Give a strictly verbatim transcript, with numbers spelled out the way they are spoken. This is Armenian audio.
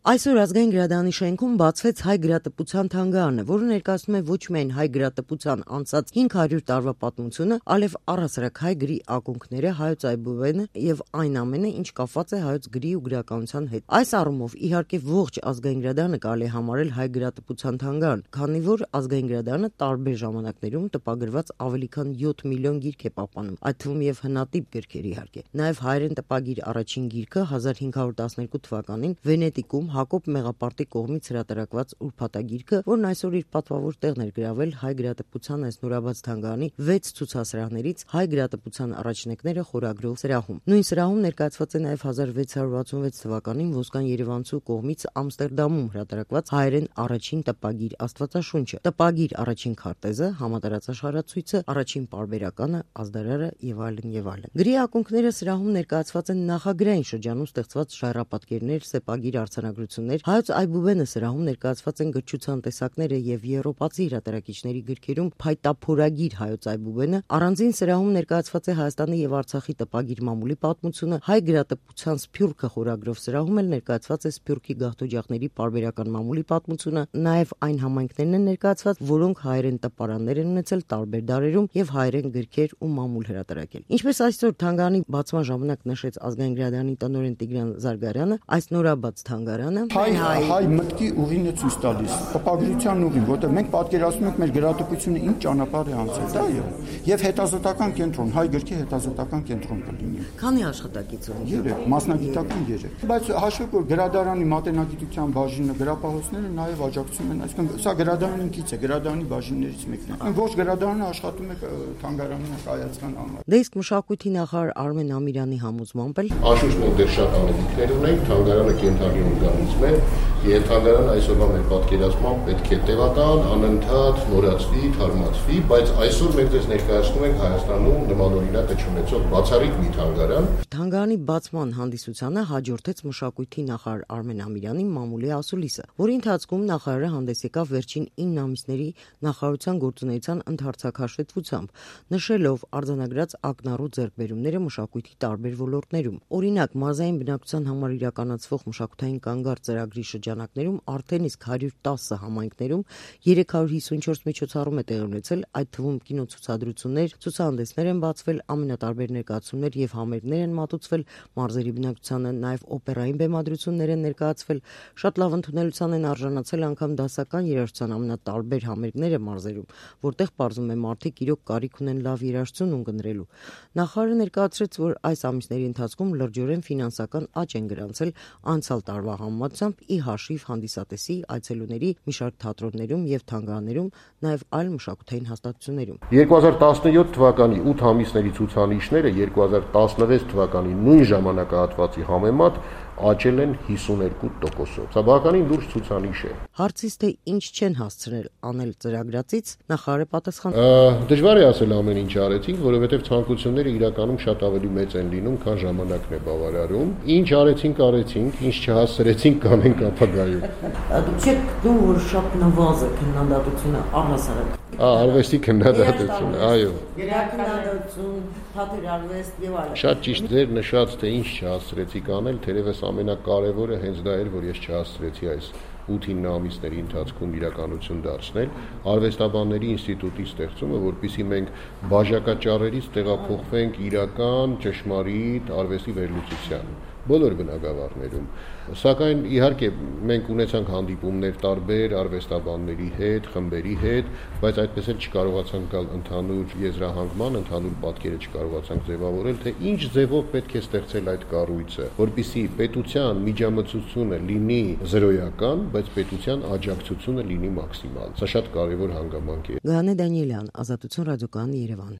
Այսօր ազգային գրադարանի շենքում բացվեց հայ գրատպության թանգարանը, որը ներկայացնում է ոչ միայն հայ գրատպության անցած հինգ հարյուր տարվա պատմությունը, այլև առհասարակ հայ գրի ակունքները, հայոց այբուբենը եւ այն ամենը, ինչ կապված է հայոց գրի ու գրականության հետ։ Այս առումով իհարկե ողջ ազգային գրադարանը կարելի է համարել հայ գրատպության թանգարան, քանի որ ազգային գրադարանը տարբեր ժամանակներում տպագրված ավելի քան յոթ միլիոն գիրք է պահպանում, այդ թվում եւ հնատիպ գրքեր իհարկե։ Նաեւ հայերեն տպագիր առաջին գիրքը հազար հինգ հարյուր տասներկու թվականին Վենետիկում Հակոբ Մեղապարտի կողմից հրատարակված ուրփաթագիրքը, որն այսօր իր պատվավոր տեղն էր գրավել հայ գրատպության այս նորաբաց թանգարանի վեց ցուցասրահներից հայ գրատպության առաջնեկները խորագրով սրահում։ Նույն սրահում ներկայացված է նաև հազար վեց հարյուր վաթսունվեց թվականին Ոսկան Երևանցու կողմից Ամստերդամում հրատարակված հայերեն առաջին տպագիր Աստվածաշունչը, տպագիր առաջին քարտեզը, համատարածաշխարհացույցը, առաջին պարբերականը, ազդարարը եւ այլն եւ այլն։ Գրի ակունքները սրահում ներկայացված են նախագրային շրջանում ստեղծված ժայռապատկերներ, սեպագիր արձանագրություններ, հայոց այբուբենը սրահում ներկայացված են գրչության տեսակները եւ եվրոպացի հրատարակիչների գրքերում փայտափորագիր հայոց այբուբենը, առանձին սրահում ներկայացված է Հայաստանի եւ Արցախի տպագիր մամուլի պատմությունը, հայ գրատպության Սփյուռքը խորագրով սրահում էլ ներկայացված է Սփյուռքի գաղթօջախների պարբերական մամուլի պատմությունը, նաեւ այն համայնքներն են ներկայացված, որոնք հայերեն տպարաններ են ունեցել տարբեր դարերում եւ հայերեն գրքեր ու մամուլ հրատարակել։ Ինչպես այսօր թանգարանի բացման ժամանակ նշեց ազգային գրադարանի տնօրեն Տիգրան Զարգարյանը, այս նորաբաց թանգարանը հայ հայ մտքի ուղին է ցույց տալիս, տպագրության ուղին, որտեղ մենք պատկերացնում ենք մեր գրատպությունը ինչ ճանապարհ է անցել, դա է։ Եվ հետազոտական կենտրոն, հայ գրքի հետազոտական կենտրոն կլինի։ Քանի աշխատակից ունի։ Երեք, մասնագիտական երեք։ Բայց հաշվեք, որ գրադարանի մատենագիտության բաժինը, գրապահոցները նաև աջակցում են, այսինքն սա գրադարանի ինքից է, գրադարանի բաժիններից մեկն է։ Ոչ գրադարանը աշխատում է թանգարանի կայացման համար։ Դե իսկ մշակույթի նախարար Արմեն Ամիրյանի համոզմամբ էլ Անշուշտ մենք դեռ շատ անելիքներ ունենք, թանգարանը կենթանի օրգանիզմ է, եւ թանգարանը այսօրվա մեր պատկերացմամբ պետք է տևական, անընդհատ նորացվի, թարմացվի, բայց այսօր մենք ձեզ ներկայացնում ենք Հայաստանում նմանօրինակ չունեցող բացառիկ մի թանգարան։ Թանգարանի բացման հանդիսությանը հաջորդեց մշակույթի նախարար Արմեն Ամիրյանի մամուլի ասուլիսը, որի ընթացքում նախարարը հանդես եկավ վերջին ինը ամիսների նախարարության գործունեության ընդհանրացակաշտեցությամբ, նշելով արձանագրած ակնառու ձեռքբերումները մշակույթի տարբեր ոլորտներում։ Օրինակ, մարզային բնակչության համար իրականացվող մշակութային կանգառ ծրագրի շրջանակներում արդեն իսկ հարյուր տասը համայնքներում երեք հարյուր հիսունչորս միջոցառում է տեղի ունեցել, այդ թվում կինոցուցադրություններ, ցուցահանդեսներ են բացվել, ամենատարբեր ներկայացումներ եւ համերգներ են մատուցվել, մարզերի բնակչությանը նաեւ օպերային բեմադրություններ են ներկայացվել, շատ լավ ընդունելության են արժանացել անգամ դասական երաժշտության ամենատարբեր համերգները մարզերում, որտեղ պարզում է մարդիկ իրոք կարիք ունեն լավ երաժշտություն ունկնդրելու։ Նախարարը ներկայացրեց, որ այս ամիսների ընթացքում լրջորեն ֆինանսական աճ են գրանցել անցյալ տարվա համեմատությամբ ի հաշիվ հանդիսատեսի, այցելուների, մի շարք թատրոններում եւ թանգարաններում, նաեւ այլ մշակութային հաստատություններում։ երկու հազար տասնյոթ թվականի ութ ամիսների ցուցանիշները երկու հազար տասնվեց թվականի նույն ժամանակահատվածի համեմատ աճել են հիսուներկու տոկոսով։ Սա բավականին լուրջ ցուցանիշ է։ Հարցից թե ինչ չեն հասցրել անել ծրագրացից, նախարարը պատասխան. Դժվար է ասել ամեն ինչ արեցինք, որովհետև ցանկությունները իրականում շատ ավելի մեծ են լինում, քան ժամանակն է բավարարում։ Ինչ արեցինք, արեցինք, ինչ չհասցրեցինք, կանենք ապագայում։ Դուք չեք դու որ շատ նվազ է քննադատությունը առհասարակ։ Արվեստի քննադատությունը, այո։ Գրաքննադատություն, թատերարվեստ եւ այլն։ Շատ ճիշտ ձեր նշած, թե ինչ չհասցրեցիք անել, թերևս ամենակարևորը հենց դա էր, որ ես չհասցրեցի այս ութ-ինը ամիսների ընթացքում իրականություն դարձնել արվեստաբանների ինստիտուտի ստեղծումը, որպեսզի մենք բաժակաճառերից տեղափոխվենք իրական ճշմարիտ արվեստի վերլուծության բոլոր բնագավառներում։ Սակայն իհարկե մենք ունեցանք հանդիպումներ տարբեր արվեստաբանների հետ, խմբերի հետ, բայց այդպես էլ չկարողացանք գալ ընդհանուր եզրահանգման, ընդհանուր պատկերը չկարողացանք ձևավորել, թե ինչ ձևով պետք է ստեղծել այդ կառույցը, որպեսզի պետության միջամտությունը լինի զրոյական, բայց պետության աջակցությունը լինի մաքսիմալ։ Սա շատ կարևոր հանգամանք է։ Գայանե Դանիելյան, Ազատություն ռադիոկայան, Երևան։